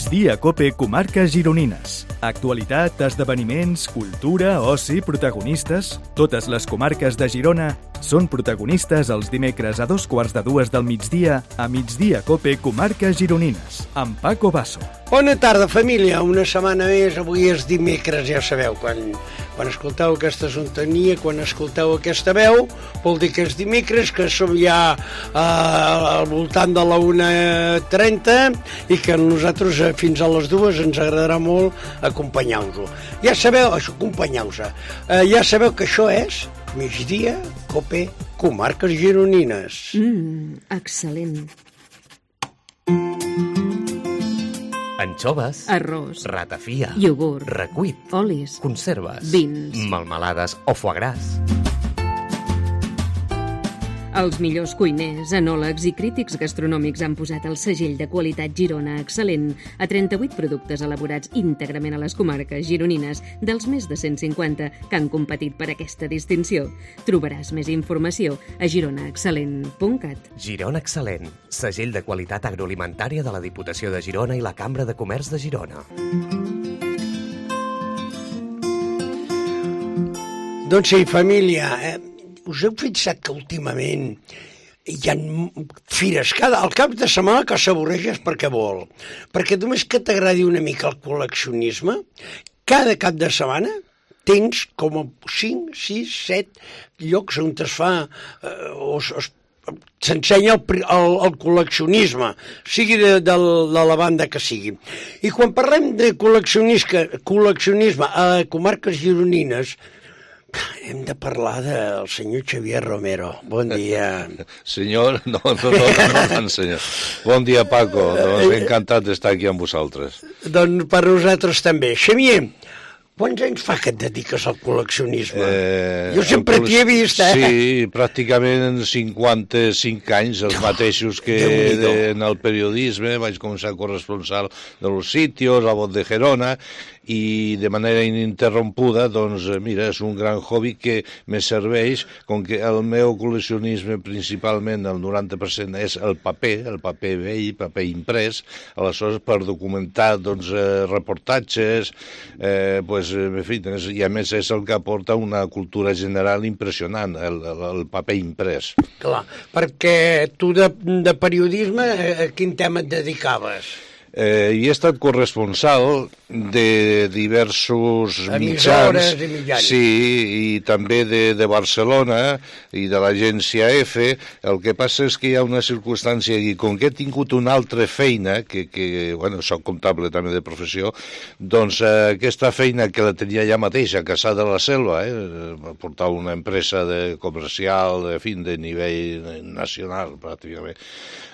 Migdia Cope Comarques Gironines. Actualitat, esdeveniments, cultura, oci, protagonistes... Totes les comarques de Girona són protagonistes els dimecres a 2:15 del migdia a Migdia Cope Comarques Gironines, amb Paco Basso. Bona tarda, família. Una setmana més, avui és dimecres, ja sabeu, quan escolteu aquesta sintonia, quan escolteu aquesta veu, vol dir que és dimecres, que som ja al voltant de la 1:30 i que nosaltres fins a les 2 ens agradarà molt acompanyar-vos. Ja sabeu, acompanyar-vos. Ja sabeu que això és Migdia Cope Comarques Gironines. Excel·lent. Anxoves, Arròs, ratafia, iogurt, recuit, olis, conserves, vins, melmelades o foie gras. Els millors cuiners, enòlegs i crítics gastronòmics han posat el segell de qualitat Girona Excel·lent a 38 productes elaborats íntegrament a les comarques gironines dels més de 150 que han competit per aquesta distinció. Trobaràs més informació a gironaexcel·lent.cat. Girona Excel·lent, segell de qualitat agroalimentària de la Diputació de Girona i la Cambra de Comerç de Girona. Doncs sí, família, us heu fixat que últimament hi ha fires al cap de setmana que s'avorreixes perquè vol. Perquè només que t'agradi una mica el col·leccionisme, cada cap de setmana tens com 5, 6, 7 llocs on es fa s'ensenya el col·leccionisme, sigui de la banda que sigui. I quan parlem de col·leccionisme a comarques gironines, hem de parlar del senyor Xavier Romero. Bon dia. Senyor, no, senyor. Bon dia, Paco. Doncs encantat d'estar aquí amb vosaltres. Doncs per nosaltres també. Xavier, quants anys fa que et dediques al col·leccionisme? Jo sempre t'hi he vist, Sí, pràcticament 55 anys, els mateixos que en el periodisme. Vaig començar corresponsal de Los Sitios, a Voz de Gerona, i de manera ininterrompuda, doncs, mira, és un gran hobby que me serveix, com que el meu col·leccionisme principalment, el 90% és el paper vell, paper imprès, aleshores per documentar, doncs, reportatges, en fi, i a més és el que aporta una cultura general impressionant, el paper imprès. Clar, perquè tu de periodisme a quin tema et dedicaves? He estat corresponsal de diversos mitjans, sí, i també de Barcelona i de l'agència F. El que passa és que hi ha una circumstància aquí, com que he tingut una altra feina, que soc comptable també de professió, doncs aquesta feina que la tenia ja mateix a Cassà de la Selva, portava una empresa comercial, de nivell nacional, pràcticament.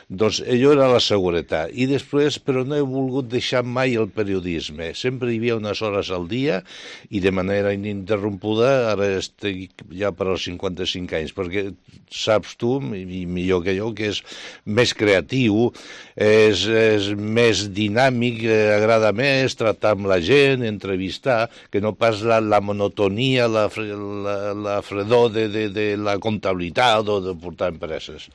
Doncs allò era la seguretat. I després, però no he volgut deixar mai el periodisme. Sempre hi havia unes hores al dia i de manera ininterrompuda, ara estic ja per als 55 anys, perquè saps tu, i millor que jo, que és més creatiu, és més dinàmic, agrada més tractar amb la gent, entrevistar, que no pas la monotonia, la fredor de la comptabilitat o de portar empreses.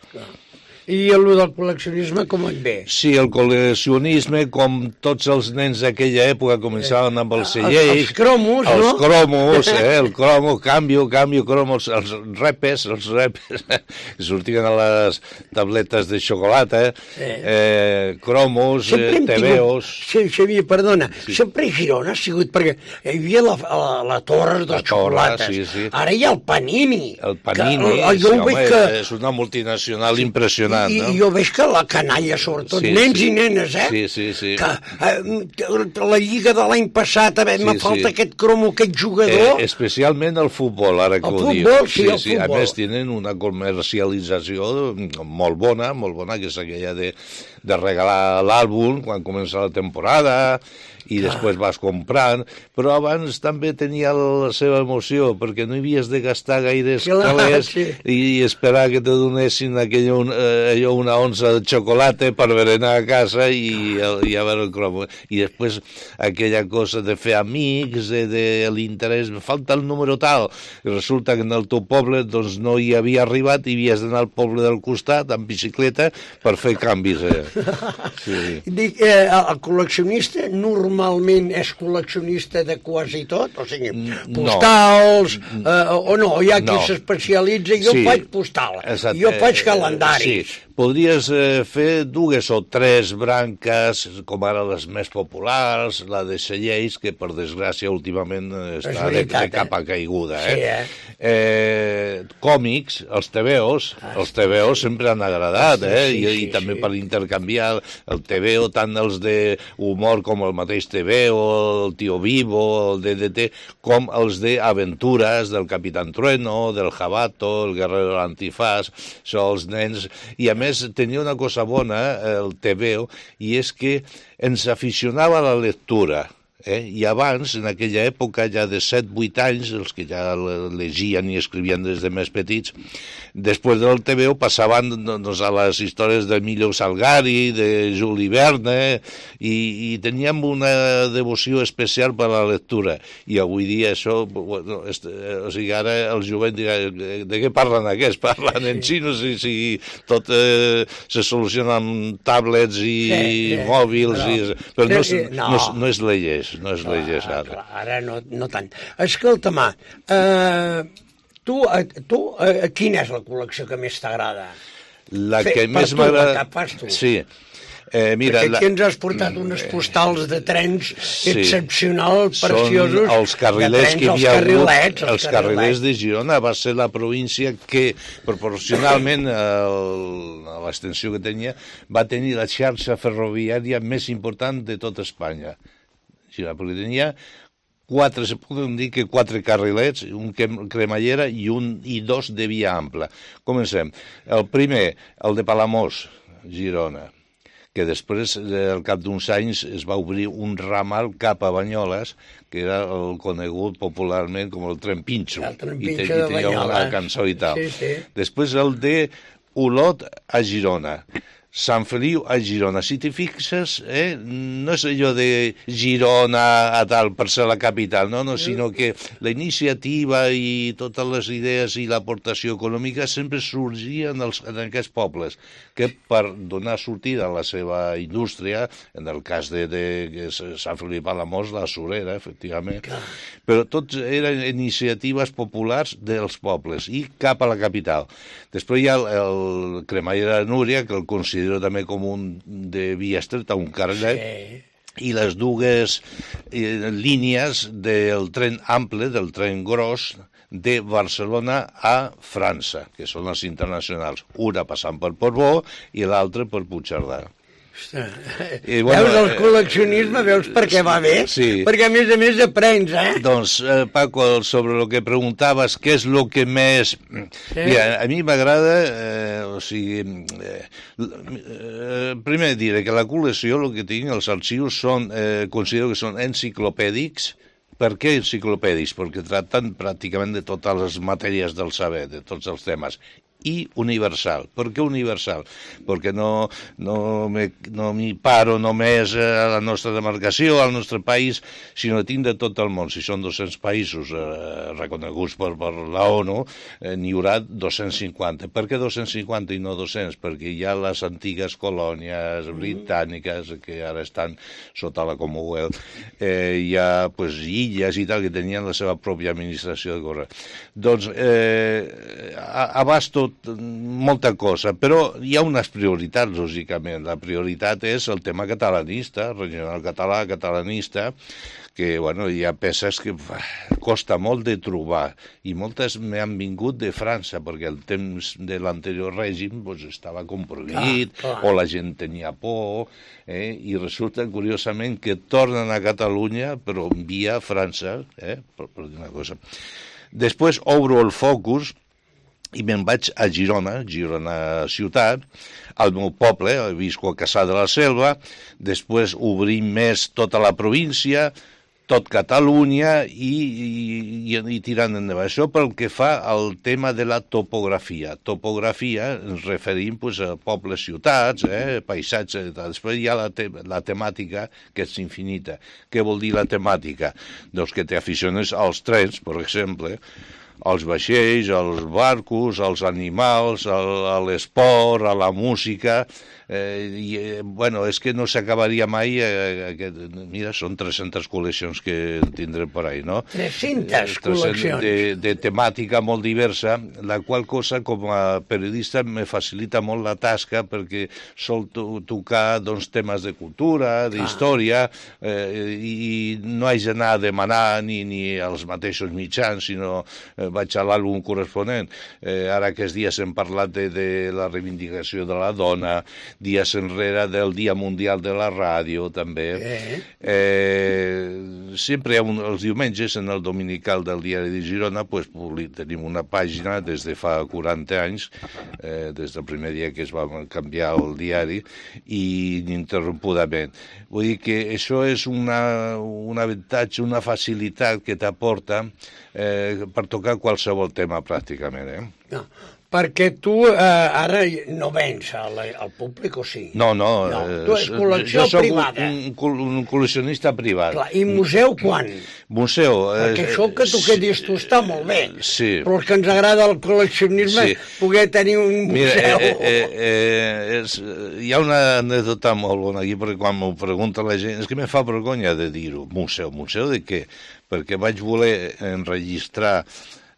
I el del col·leccionisme com et ve? Sí, el col·leccionisme, com tots els nens d'aquella època començaven amb els cellers... Els cromos, no? Els cromos, el cromo, canvio, cromos, els repes, sortien a les tabletes de xocolata, cromos, tebeos... Sí, Xavier, perdona, sempre Girona ha sigut, perquè hi havia la torre de xocolates, ara hi ha el Panini. El Panini, és una multinacional impressionant. I jo veig que la canalla, sobretot nens i nenes, Sí. Que la lliga de l'any passat, me falta aquest cromo, aquest jugador... Especialment el futbol, ara que ho diu. El futbol. A més, tenen una comercialització molt bona, que és aquella de regalar l'àlbum quan comença la temporada, i després vas comprant, però abans també tenia la seva emoció, perquè no hi havies de gastar gaires calés i esperar que te donessin allò una onça de xocolata per berenar a casa i a veure el cromo. I després aquella cosa de fer amics, de l'interès, falta el número tal, i resulta que en el teu poble doncs no hi havia arribat i havies d'anar al poble del costat amb bicicleta per fer canvis. Dic, el col·leccionista normalment és col·leccionista de quasi tot? O sigui, postals, o no, hi ha qui s'especialitza, jo faig postal, jo faig calendaris. Sí, podries fer 2 o 3 branques, com ara les més populars, la de cellers, que per desgràcia últimament està de capa caiguda. Còmics, els TVOs sempre han agradat, i també per intercanviar el TVO, tant els d'humor com el mateix TVO, el Tío Vivo, el DDT, com els d'aventures del Capitán Trueno, del Jabato, el Guerrero Antifaz, són els nens, i a més tenia una cosa bona, el TVO, i és que ens aficionava a la lectura. I abans, en aquella època, ja de 7-8 anys, els que ja llegien i escrivien des de més petits, després del TVO passaven a les històries d'Emilio Salgari, de Juli Verne, i teníem una devoció especial per la lectura. I avui dia això, o sigui, ara el jovent dirà, de què parlen aquests? Parlen en xino, si tot se soluciona amb tablets i mòbils, però no es llegeix. No es llegeix ara. Ara no tant. Escolta-me, tu, quina és la col·lecció que més t'agrada? La que més m'agrada... Sí. Mira, perquè aquí ens has portat unes postals de trens excepcionals, preciosos. Són els carrilers que hi havia hagut. Els carrilers de Girona va ser la província que, proporcionalment a l'extensió que tenia, va tenir la xarxa ferroviària més important de tot Espanya. Perquè tenia 4 carrilets, un cremallera i 2 de via ampla. Comencem. El primer, el de Palamós, Girona, que després, al cap d'uns anys, es va obrir un ramal cap a Banyoles, que era el conegut popularment com el tren Pinxo. I tenia una cançó i tal. Després el de Olot a Girona. Sant Feliu a Girona. Si t'hi fixes, no és allò de Girona a tal per ser la capital, no, sinó que la iniciativa i totes les idees i l'aportació econòmica sempre sorgien en aquests pobles, que per donar sortida a la seva indústria, en el cas de Sant Feliu i Palamós, la surera, efectivament, però tots eren iniciatives populars dels pobles i cap a la capital. Després hi ha el cremallera de Núria, que el considero també com un de via estreta, un carrilet, i les 2 línies del tren ample, del tren gros, de Barcelona a França, que són les internacionals, una passant per Portbou i l'altra per Puigcerdà. Veus el col·leccionisme, veus per què va bé? Sí. Perquè a més aprens, Doncs, Paco, sobre el que preguntaves, què és el que més... Mira, a mi m'agrada, primer diré que la col·lecció, el que tinc, els arxius, considero que són enciclopèdics. Per què enciclopèdics? Perquè tracten pràcticament de totes les matèries del saber, de tots els temes. I universal. Per què universal? Perquè no m'hi paro només a la nostra demarcació, al nostre país, sinó que tinc de tot el món. Si són 200 països reconeguts per la ONU, n'hi haurà 250. Per què 250 i no 200? Perquè hi ha les antigues colònies britàniques que ara estan sota la Commonwealth. Hi ha illes i tal que tenien la seva pròpia administració de correu. Doncs abasto molta cosa, però hi ha unes prioritats, lògicament. La prioritat és el tema catalanista, regional català, catalanista, que hi ha peces que costa molt de trobar, i moltes m'han vingut de França, perquè el temps de l'anterior règim estava compromet, o la gent tenia por, i resulta, curiosament, que tornen a Catalunya, però via França, per dir una cosa. Després obro el focus i me'n vaig a Girona ciutat, al meu poble, visco a Cassà de la Selva, després obrim més tota la província, tot Catalunya i tirant endavant. Això pel que fa al tema de la topografia. Topografia ens referim a pobles, ciutats, paisatge, després hi ha la temàtica, que és infinita. Què vol dir la temàtica? Doncs que t'aficiones als trens, per exemple, als vaixells, als barcos, als animals, a l'esport, a la música, Bueno, és que no s'acabaria mai, mira, són 300 col·leccions que tindrem per ahí, no? 300 col·leccions. De temàtica molt diversa, la qual cosa, com a periodista, me facilita molt la tasca, perquè sol tocar doncs, temes de cultura, d'història, i no haig d'anar a demanar ni als mateixos mitjans, sinó vaig a l'àlbum corresponent. Ara aquests dies hem parlat de la reivindicació de la dona, dies enrere del Dia Mundial de la Ràdio, també. Sempre els diumenges, en el dominical del Diari de Girona, tenim una pàgina des de fa 40 anys, des del primer dia que es va canviar el diari, i ininterrompudament. Vull dir que això és un avantatge, una facilitat que t'aporta per tocar qualsevol tema, pràcticament. No. Perquè tu ara no vens al públic, o sí? No. Tu és col·lecció privada. Jo soc un col·leccionista privat. Clar, i museu quan? Museu... Perquè això que tu que dius tu està molt bé, sí. Però els que ens agrada el col·leccionisme, poder tenir un museu... Mira, hi ha una anècdota molt bona aquí, perquè quan m'ho pregunta la gent, és que me fa vergonya de dir-ho. Museu de què? Perquè vaig voler enregistrar...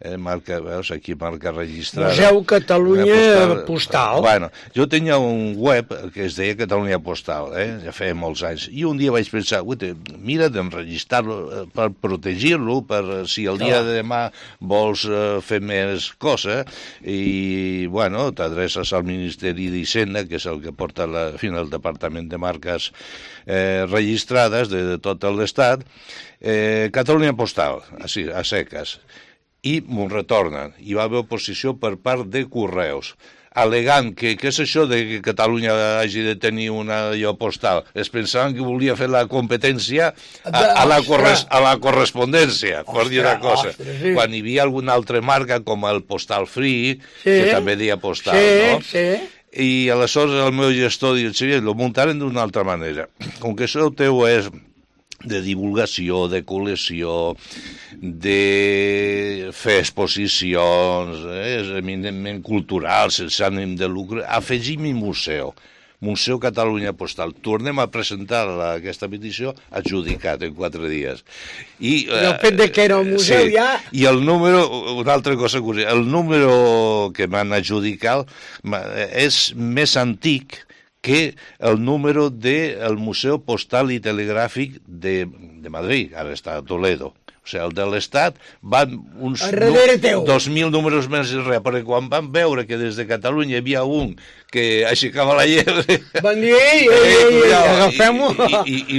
veus, aquí marca registrada. Museu Catalunya Postal. Bueno, jo tenia un web que es deia Catalunya Postal, ja feia molts anys, i un dia vaig pensar, mira d'enregistrar-lo per protegir-lo, per si el dia de demà vols fer més cosa, i, bueno, t'adreces al Ministeri d'Hisenda, que és el que porta el Departament de Marques registrades de tot l'estat, Catalunya Postal, així, a seques, i m'ho retornen. Hi va haver oposició per part de Correus, al·legant que què és això de que Catalunya hagi de tenir una allò postal. Es pensaven que volia fer la competència a la correspondència, per dir una cosa. Quan hi havia alguna altra marca, com el Postal Free, que també deia postal, no? Sí. I aleshores el meu gestor diu, lo muntaren d'una altra manera. Com que això teu és de divulgació, de col·lecció, de fer exposicions, és eminentment cultural, sense ànim de lucre, afegim-hi museu. Museu Catalunya Postal. Tornem a presentar aquesta petició adjudicat en 4 dies. I el fet de que era un museu ja... I el número, una altra cosa curiosa, el número que m'han adjudicat és més antic que el número del Museu Postal i Telegràfic de Madrid, ara està a Toledo. O sigui, el de l'Estat van uns 2.000 números més enrere, perquè quan van veure que des de Catalunya hi havia un que aixecava la llebre... Van dir, agafem-ho! I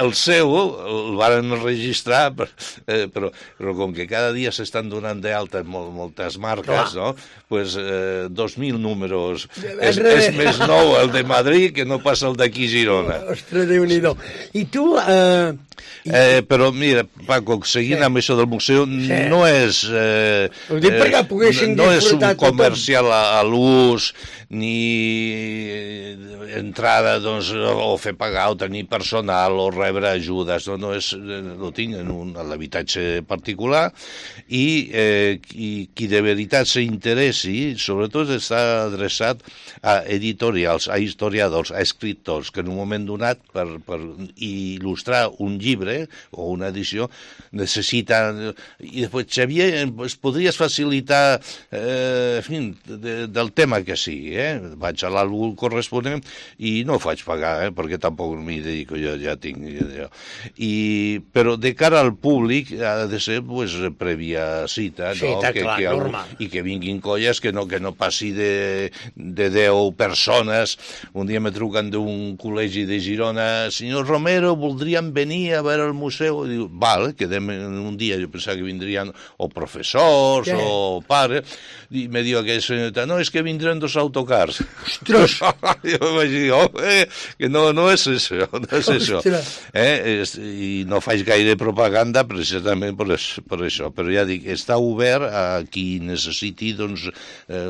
el seu el van registrar, però com que cada dia s'estan donant d'alta moltes marques, no? Pues 2.000 números. És més nou el de Madrid que no pas el d'aquí Girona. Ostres, Déu-n'hi-do. I tu... Però mira, Paco, seguint amb això del museu, no és un comercial a l'ús, ni entrada o fer pagar o tenir personal o rebre ajudes, no és, ho tinc en l'habitatge particular, i qui de veritat s'interessi, sobretot està adreçat a editorials, a historiadors, a escriptors, que en un moment donat, per il·lustrar un llibre o una edició, necessiten... I després, Xavier, es podries facilitar del tema que sigui, vaig a l'àlbum corresponent i no ho faig pagar, perquè tampoc m'hi dedico, jo ja tinc... Però de cara al públic ha de ser prèvia cita, normal. I que vinguin colles que no passi de 10 persones. Un dia me truquen d'un col·legi de Girona, senyor Romero, voldríem venir a veure el museu. I diu, val, quedem un dia, jo pensava que vindrien o professors o pares, i me diu aquella senyora, no, és que vindran 2 autocars. Ostres! Jo vaig dir, que no és això, no és això. I no faig gaire propaganda precisament per això, però ja dic, està obert a qui necessiti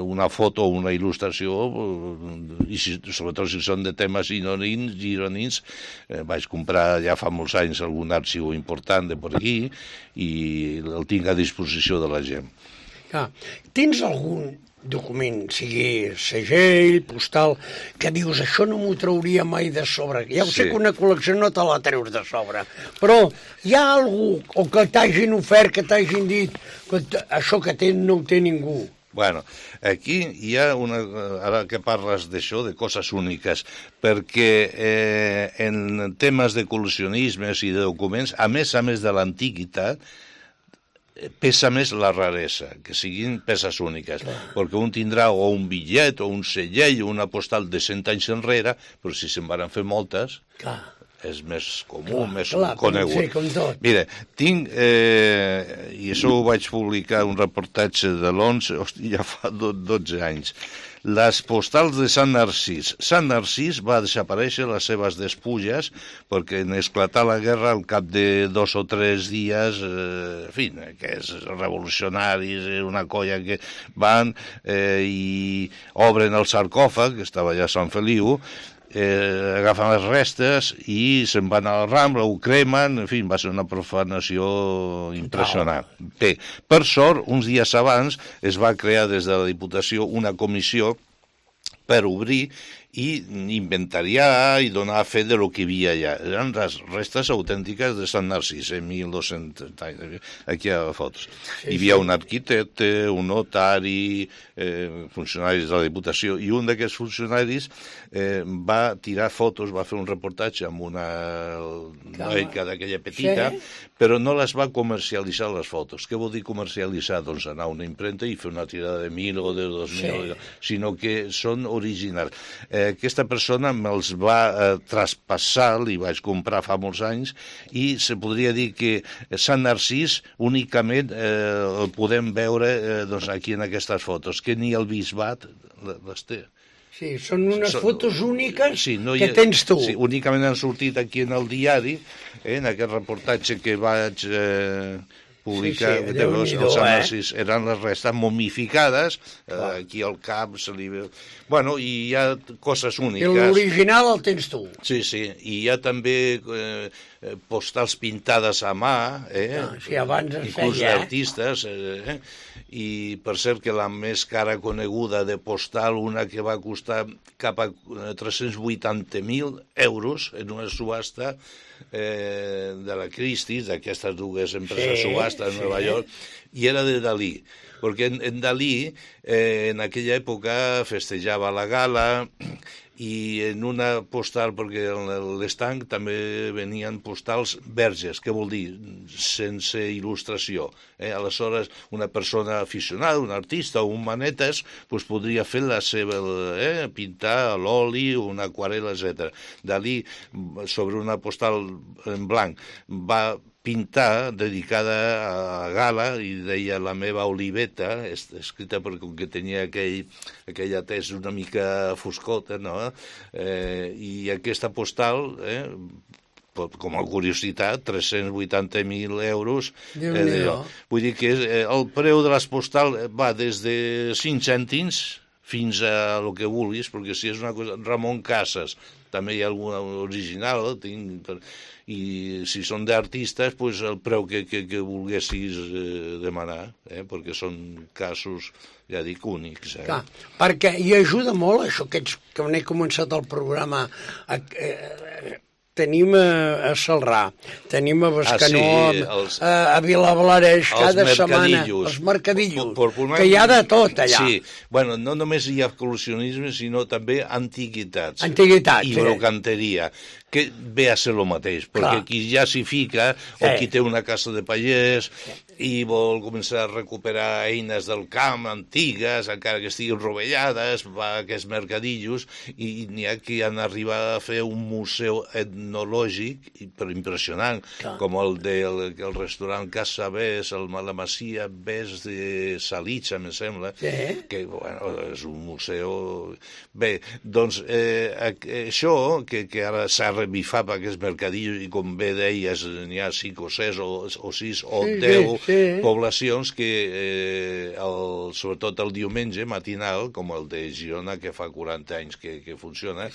una foto o una il·lustració, i sobretot si són de temes gironins, vaig comprar ja fa molts anys algun arxiu important de per aquí i el tinc a disposició de la gent. Tens algun document, sigui segell, postal, que dius, això no m'ho trauria mai de sobre? Ja ho sé que una col·lecció no te la treus de sobre, però hi ha algú, o que t'hagin ofert, que t'hagin dit, que això que tens no ho té ningú? Bueno, aquí hi ha ara que parles d'això, de coses úniques, perquè en temes de col·leccionismes i de documents, a més de l'antiguitat, pesa més la raresa, que siguin peces úniques, perquè un tindrà o un bitllet, o un segell, o una postal de 100 anys enrere, però si se'n van fer moltes, és més comú, més conegut. Mira, tinc, i això ho vaig publicar, un reportatge de l'11, ja fa 12 anys, les postals de Sant Narcís. Sant Narcís va desaparèixer les seves despulles perquè en esclatar la guerra al cap de 2 o 3 dies, en fi, que és revolucionaris, una colla que van i obren el sarcòfag, que estava allà a Sant Feliu, agafen les restes i se'n van a la Rambla, ho cremen, en fi, va ser una profanació impressionant. Bé, per sort, uns dies abans es va crear des de la Diputació una comissió per obrir i inventariar i donar fe de lo que hi havia allà. Eren les restes autèntiques de Sant Narcís, en 1200, aquí hi ha fotos. Hi havia un arquitecte, un notari, funcionaris de la Diputació, i un d'aquests funcionaris va tirar fotos, va fer un reportatge amb una noica d'aquella petita, però no les va comercialitzar les fotos. Què vol dir comercialitzar? Doncs anar a una impremta i fer una tirada de 1.000 o de 2.000, sinó que són originals. Aquesta persona me'ls va traspassar, li vaig comprar fa molts anys, i se podria dir que Sant Narcís únicament el podem veure aquí en aquestes fotos, que ni el bisbat les té. Sí, són unes fotos úniques que tens tu. Sí, únicament han sortit aquí en el diari, en aquest reportatge que vaig publicar, els Sant Narcís eren les restes momificades, aquí al cap se li veu... Bueno, i hi ha coses úniques. L'original el tens tu. Sí, i hi ha també postals pintades a mà, inclús d'artistes, i per cert que la més cara coneguda de postal, una que va costar cap a 380.000 euros en una subhasta de la Christie's, d'aquestes dues empreses subhastes de Nova York, i era de Dalí, perquè en Dalí en aquella època festejava la gala i en una postal, perquè en l'estanc també venien postals verges, què vol dir? Sense il·lustració. Aleshores, una persona aficionada, un artista o un manetes, podria fer la seva, pintar a l'oli, una aquarel·la, etc. Dalí, sobre una postal en blanc, va pintar dedicada a gala i deia La meva oliveta, escrita perquè com que tenia aquella tesa una mica foscota, no? I aquesta postal, com a curiositat, 380.000 euros. Vull dir que el preu de les postals va des de 5 cèntims fins a el que vulguis, perquè si és una cosa... Ramon Casas, també hi ha alguna original, i si són d'artistes, el preu que volguessis demanar, perquè són casos, ja dic, únics. Clar, perquè hi ajuda molt això que he començat el programa. Tenim a Celrà, tenim a Bescanó, a Vilablareix, cada setmana, els mercadillos, que hi ha de tot allà. Sí, bueno, no només hi ha col·leccionisme, sinó també antiguitats. Antiguitats, i brocanteria, que ve a ser el mateix, perquè qui ja s'hi fica, o qui té una casa de pagès, i vol començar a recuperar eines del camp antigues, encara que estiguin rovellades, va a aquests mercadillos, i n'hi ha que han arribat a fer un museu etnològic però impressionant, com el del restaurant Casa Bes, la Masia Bes de Salitja, me sembla, que és un museu... Bé, doncs això, que ara s'ha revifat per aquests mercadillos, i com bé deies, n'hi ha 5 o 6 o 6 o 10 poblacions que, sobretot el diumenge matinal, com el de Girona, que fa 40 anys que funciona,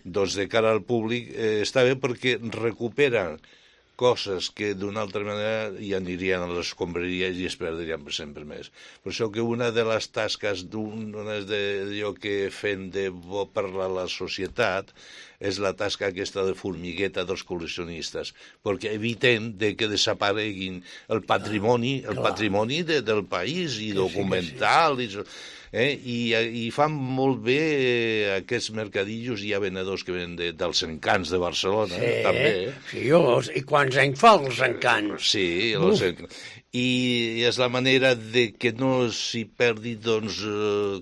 doncs de cara al públic està bé perquè recuperen coses que d'una altra manera ja anirien a les escombraries i es perdrien per sempre més. Per això que una de les tasques d'allò que fem de bo per la societat és la tasca aquesta de formigueta dels col·leccionistes, perquè eviten que desapareguin el patrimoni del país i documental, i fan molt bé aquests mercadillos. Hi ha venedors que venen dels encants de Barcelona, també. Sí, i quants anys fa els encants? Sí, els encants. I és la manera de que no s'hi perdi, doncs,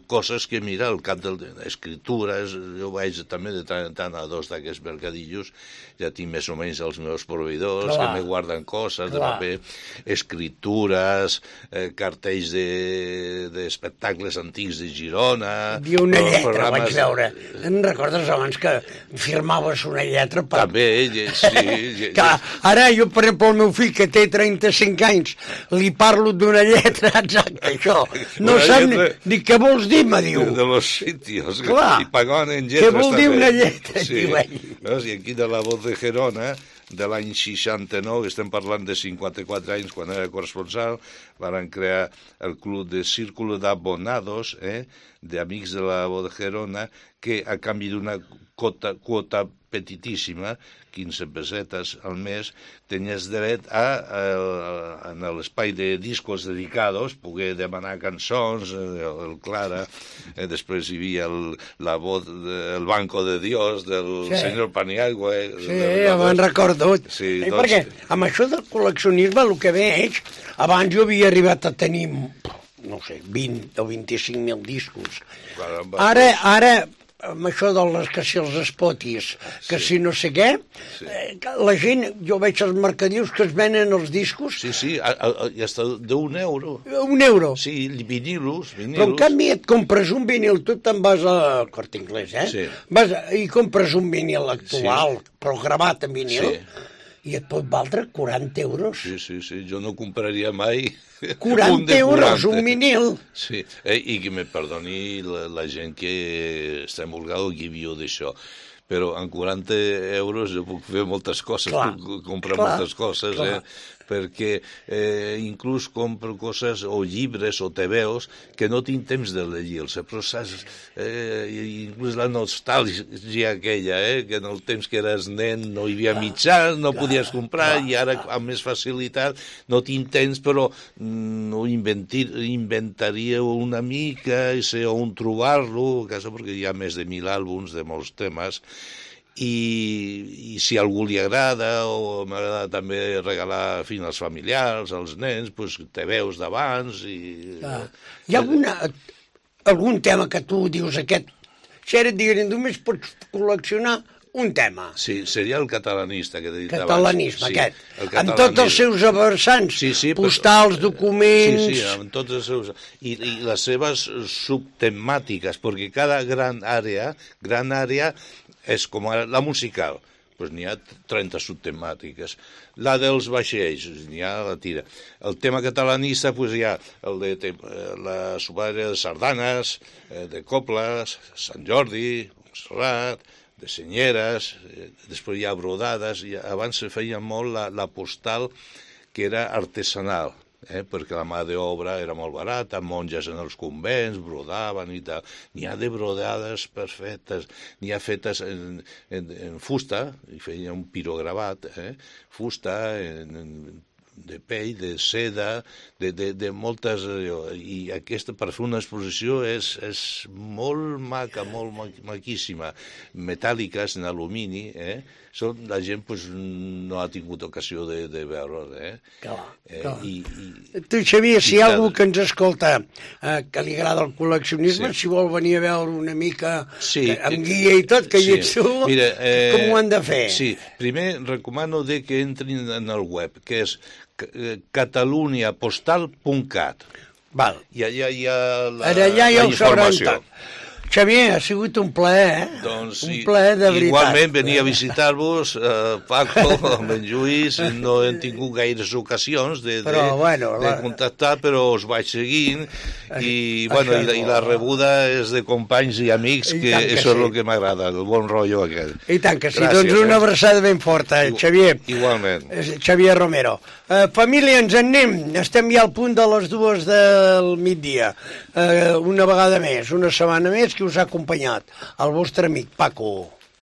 coses que, mira, al cap d'escritures, jo vaig també de tant en tant a dos d'aquests mercadillos, ja tinc més o menys els meus proveïdors que me guarden coses de paper, escritures, cartells d'espectacles antics de Girona... Hi havia una lletra, vaig veure. Em recordes abans que firmaves una lletra? També, sí. Ara jo, per exemple, el meu fill, que té 35 anys, li parlo d'una lletra, exacte, això. No sap ni què vols dir, me diu. De los sitios. Clar. I pagaven en lletres. Què vol dir una lletra? Sí. I aquí de la Voz de Gerona, de l'any 69, estem parlant de 54 anys, quan era corresponsal, van crear el club de Círculo de Abonados, d'amics de la Voz de Gerona, que a canvi d'una quota petitíssima, 15 pessetes al mes, tenies dret en l'espai de discos dedicados, poder demanar cançons, el Clara, després hi havia la voz, el Banco de Dios, del senyor Paniagua. Sí, me'n recordo. Sí, perquè amb això del col·leccionisme, el que veig, abans jo havia arribat a tenir, no sé, 20 o 25.000 discos. Ara amb això que si els spotis, que si no sé què, la gent, jo veig els mercadillos que es venen els discos... Sí, i hasta d'un euro. Un euro? Sí, vinilos. Però en canvi et compres un vinil, tu te'n vas al Corte Inglés, Sí. Vas i compres un vinil actual, però gravat en vinil, i et pot valdre 40 euros. Sí, jo no compraria mai... 40 euros, un vinil. Sí, i que me perdoni la gent que està embolgada o que viu d'això. Però amb 40 euros jo puc fer moltes coses, puc comprar moltes coses, perquè inclús compro coses o llibres o tebeos que no tinc temps de llegir-los, però saps, inclús la nostàlgia aquella, que en el temps que eres nen no hi havia mitjans, no podies comprar, i ara amb més facilitat no tinc temps, però no inventaria una mica, i sé on trobar-lo, perquè hi ha més de 1.000 àlbums de molts temes, i si a algú li agrada, o m'agrada també regalar als familiars, als nens, doncs te veus d'abans. Hi ha algun tema que tu dius aquest, si ara et diguin, només pots col·leccionar un tema? Sí, seria el catalanista que he dit abans. Catalanisme, aquest. Amb tots els seus versants, postals, documents... Sí, amb tots els seus... I les seves subtemàtiques, perquè cada gran àrea és com la musical, doncs n'hi ha 30 subtemàtiques. La dels vaixells, n'hi ha la tira. El tema catalanista, doncs hi ha el de la subàrea de sardanes, de coples, Sant Jordi, Montserrat, de senyeres, després hi ha brodades, abans se feia molt la postal que era artesanal, perquè la mà d'obra era molt barata, monges en els convents brodaven i tal. N'hi ha de brodades perfectes, n'hi ha fetes en fusta, i feia un pirogravat, fusta, de pell, de seda, de moltes... I aquesta, per fer una exposició, és molt maca, molt maquíssima. Metàl·liques, en alumini, la gent no ha tingut ocasió de veure. Clar. Tu, Xavier, si hi ha algú que ens escolta que li agrada el col·leccionisme, si vol venir a veure una mica amb guia i tot, que hi ets tu, com ho han de fer? Sí, primer recomano que entrin en el web, que és cataluniapostal.cat. Val. I allà hi ha la informació. Xavier, ha sigut un plaer, Doncs sí, un plaer de veritat. Igualment venia a visitar-vos, Paco, amb en Lluís, no hem tingut gaires ocasions de contactar, però us vaig seguint i la rebuda és de companys i amics, que això és el que m'agrada, el bon rotllo aquest. I tant que sí, doncs una abraçada ben forta, Xavier. Igualment. Xavier Romero. Família, ens en anem, estem ja al punt de les 2 del migdia. Una vegada més, una setmana més, que us ha acompanyat el vostre amic Paco.